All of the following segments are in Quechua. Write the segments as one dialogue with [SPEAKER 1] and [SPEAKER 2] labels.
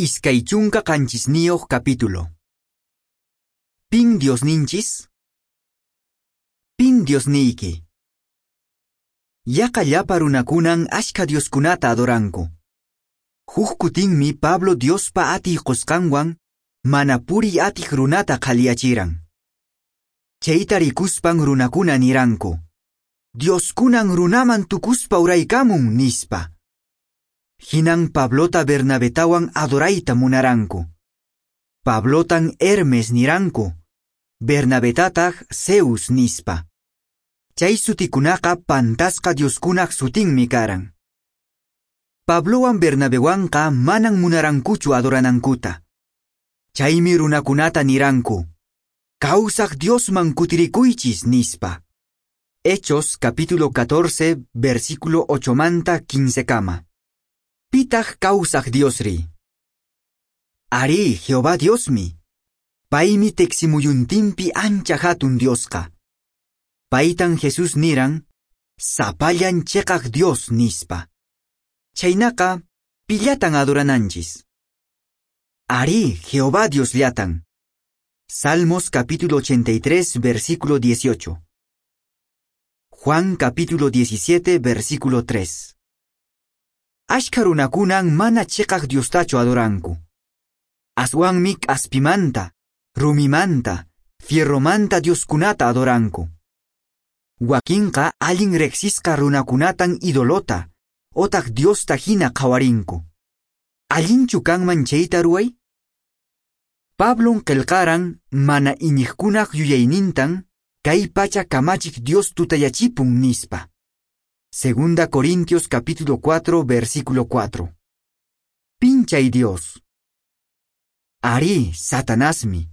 [SPEAKER 1] 27 capítulo. Pin Diosninchis? Pin Diosniyki? Yaqa llapa runakunan ashka Dioskunata adoranku. Huk kutinmi Pablo Diospa atiy qusqanwan mana puriy atiq runata qhaliyachiran. Chayta rikuspan runakuna niranku: Dioskunan runaman tukuspa uraykamun, nispa. Hinan Pablota Bernabetawan adorayta munaranku. Pablotan Hermes niranku, Bernabetataq Zeus nispa. Chay sutikunaqa pantasqa Dioskunaq sutinmi karan. Pablowan Bernabewanqa manan munarankuchu adoranankuta. Chaymi runakunata niranku: Kawsaq Diosman kutirikuychis, nispa. Hechos capítulo 14, versículo 8 manta 15 kama. Pitaq kawsaq Diosri? Ari, Jehová Diosmi. Paymi teqsimuyuntinpi ancha hatun Diosqa. Paytan Jesús niran: Sapallan cheqaq Dios, nispa. Chaynaqa, pillatan adorananchis? Ari, Jehová Diosllatan. Salmos capítulo 83, versículo 18. Juan capítulo 17, versículo 3. Ashka runakunan mana cheqaq Diostachu adoranku. Aswanmi k'aspimanta, rumimanta, fierromanta Dioskunata adoranku. Wakinqa allin riqsisqa runakunatan idolota, otaq Diosta hina qhawarinku. Allinchu kanman chayta ruway? Pablon qillqaran mana iñiqkunaq yuyaynintan kay pacha kamachiq Dios tutayachipun, nispa. Segunda Corintios capítulo 4, versículo 4. Pin chay Dios? Ari, Satanasmi.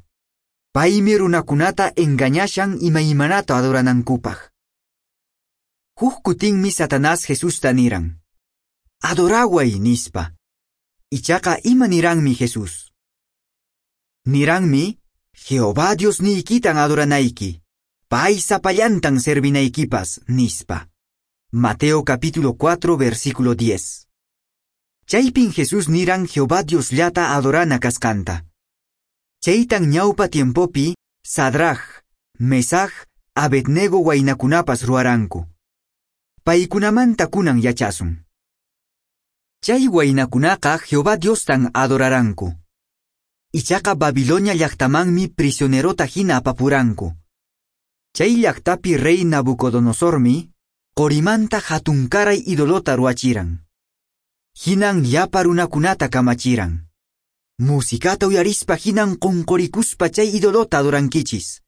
[SPEAKER 1] Paymi runakunata engañashan imaymanata adoranankupaq. Huk kutinmi Satanás Jesusta niran: Adoraway, nispa. Ichaqa ima niranmi Jesús? Niranmi: Jehová Diosniykitan adoranayki, pay sapallantan servinaykipas, nispa. Mateo capítulo 4, versículo 10. Chaypin Jesús niran Jehová Diosllata adorana kasqanta. Chaytan ñawpa tiempopi Sadraj, Mesaj, Abednego waynakunapas ruwaranku. Paykunamanta kunan yachasun. Chay waynakunaqa Jehová Diostan adoraranku. Ichaqa Babilonia llaqtamanmi prisionerota hina apapuranku. Chay llaqtapi rey Nabucodonosormi qorimanta hatunkaray idolota ruwachiran. Hinan llapa runakunata kamachiran: Musikata uyarispa hinan qunqurikuspa chay idolota adorankichis.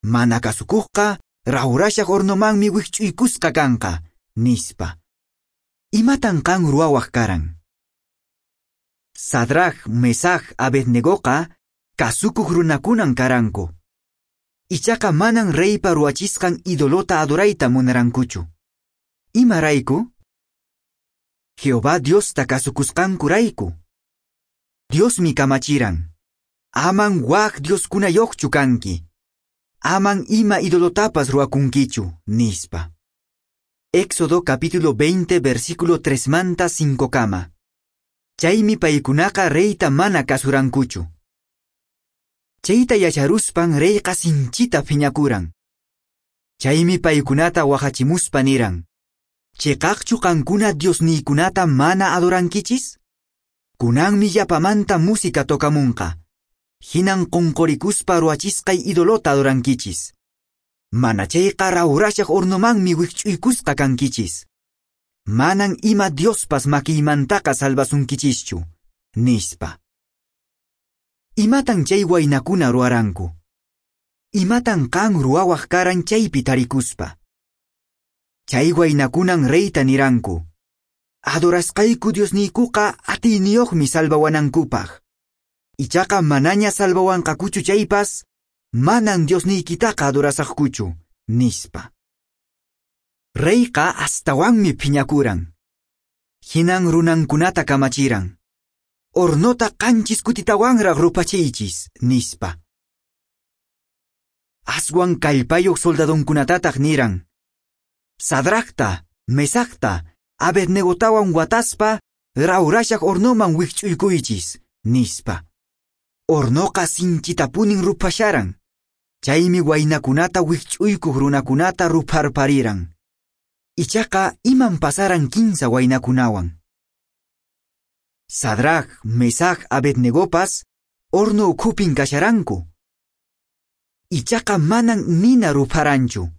[SPEAKER 1] Mana kasukuqqa rawrashaq hornomanmi wikch'uykusqa kanqa, nispa. Imatan qan ruwawaq karan? Sadraj, Mesaj, Abednegoqa kasukuq runakunan karanku. Ichaqa manan reypa ruwachisqan idolota adorayta munarankuchu. Imarayku? Jehová Diosta kasukusqankurayku. Diosmi kamachiran: Aman wak Dioskunayoqchu kanki. Aman ima idolotapas ruwakunkichu, nispa. Éxodo capítulo 20, versículo 3 manta 5 kama. Chaymi paykunaqa reyta mana kasurankuchu. Chayta yacharuspan reyqa sinchita phiñakuran. Chaymi paykunata wahachimuspa niran: Cheqaqchu qankuna Diosniykunata mana adorankichis? Kunanmi llapamanta música tokamunqa. Hinan qunqurikuspa ruwachisqay idolota adorankichis. Mana chayqa rawrashaq hornomanmi wikch'uykusqa kankichis. Manan ima Diospas makiymantaqa salvasunkichischu, nispa. Imatan chay waynakuna ruwaranku? Imatan qan ruwawaq karan chaypi tarikuspa? Chay waynakunan reyta niranku: Adorasqayku Diosniykuqa atiyniyuqmi salvawanankupaq. Ichaqa manaña salvawanqakuchu chaypas, manan Diosniykitaqa adorasaqkuchu, nispa. Reyqa astawanmi phiñakuran. Hinan runankunata kamachiran: Hornota qanchis kutitawanraq rupachiychis, nispa. Aswan kallpayuq soldadonkunatataq niran: Sadrajta, Mesajta, Abednegotawan wataspa rawrashaq hornoman wikch'uykuychis, Nispa. Hornoqa sinchitapunin ruphasharan. Chaymi waynakunata wikch'uykuq runakunata rupharpariran. Ichaqa iman pasaran kinsa waynakunawan. Sadrac, Mesac, Abednegopas horno ukhupin kasharanku. Ichaqa manan nina rupharanchu.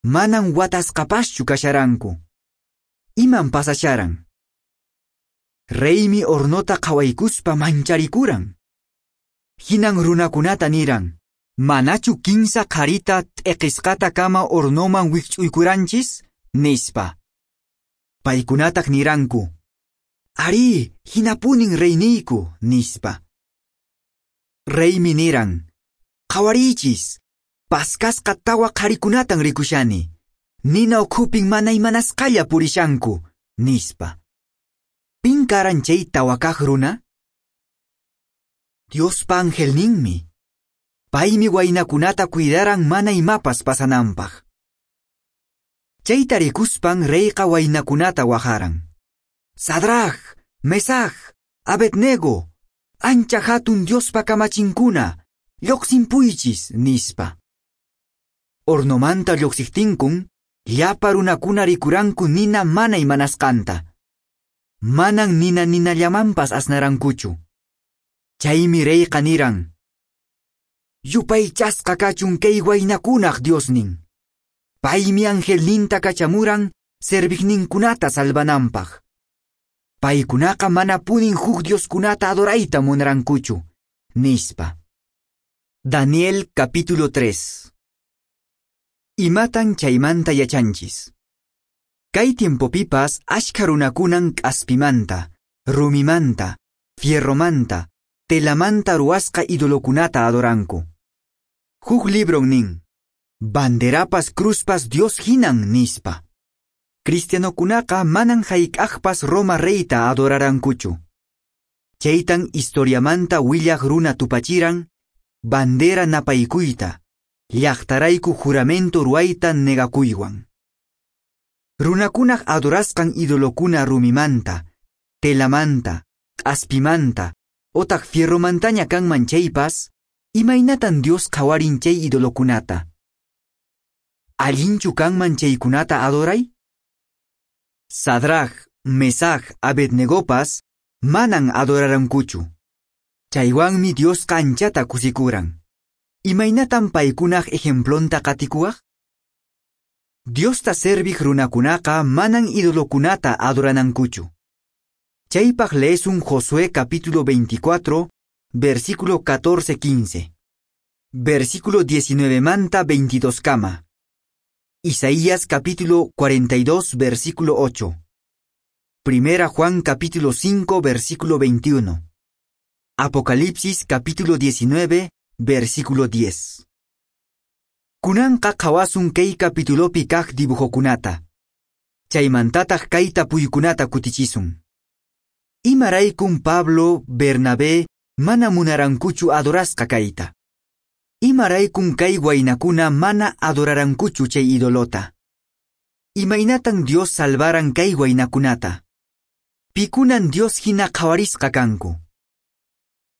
[SPEAKER 1] Manan watasqapaschu kasharanku. Iman pasasharan. Reymi hornota qhawaykuspa mancharikuran. Hinan runakunata niran. Manachu kinsa qharita t'eqisqata kama hornoman wikch'uykuranchis? Nispa. Paykunataq niranku. Ari, hinapunin reyniyku, nispa. Reymi niran. Qhawariychis, paskasqa tawa qharikunatan rikushani. Nina ukhupin mana imanasqalla purishanku, nispa. Pin karan chay tawakaq runa? Diospa angelninmi. Paymi waynakunata cuidaran mana imapas pasananpaq. Chayta rikuspan reyqa waynakunata wajaran. Sadrac, Mesac, Abednego, ancha hatun Diospa kamachinkuna, lluqsinpuychis, nispa. Hornomanta lluqsiqtinkun, llapa runakuna rikuranku nina mana imanasqanta. Manan nina ninallamanpas asnarankuchu. Chaymi reyqa niran. Yupaychasqa kachun kay waynakunaq Diosnin. Paymi angelninta kachamuran serviqninkunata salvananpaq. Paykunaqa manapunin huk dioskunata adorayta munarankuchu, nispa. Daniel capítulo 3. Imatan chaymanta yachanchis. Kay tiempopipas ashkha runakunan k'aspimanta, rumimanta, fierromanta, telamanta ruwasqa idolokunata adoranku. Huk libron nin, banderapas cruzpas Dios hinan nispa. Cristianokunaqa manan hayk'aqpas Roma reyta adorarankuchu. Chaytan historiamanta willaq runa tupachiran, bandera napaykuyta, llaqtarayku juramento ruwayta negakuywan. Runakunaq adorasqan idolokuna rumimanta, telamanta, k'aspimanta, otaq fierromantaña kanman chaypas, imaynatan Dios qhawarin chay idolokunata? Allinchu kanman chaykunata adoray? Sadrac, Mesac, Abednegopas manan adorarankuchu. Chaywanmi Diosqa anchata kusikuran. Imaynatan paykunaq ejemplonta qatikuwaq? Diosta serviq runakunaqa manan idolokunata adoranankuchu. Chaypaq leesun Josué capítulo 24, versículo 14-15. Versículo 19 manta 22 kama. Isaías capítulo 42, versículo 8. Primera Juan capítulo 5, versículo 21. Apocalipsis capítulo 19, versículo 10. Kunanqa qhawasun kay capitulopi kaq dibujokunata. Chaymantataq kay tapuykunata kutichisun. Imaraykun Pablo, Bernabé, mana munarankuchu adorasqa kayta. Imaraykun kay waynakuna mana adorarankuchu chay idolota. Imaynatan Dios salvaran kay waynakunata. Pikunan Dios hina qhawarisqa kanku.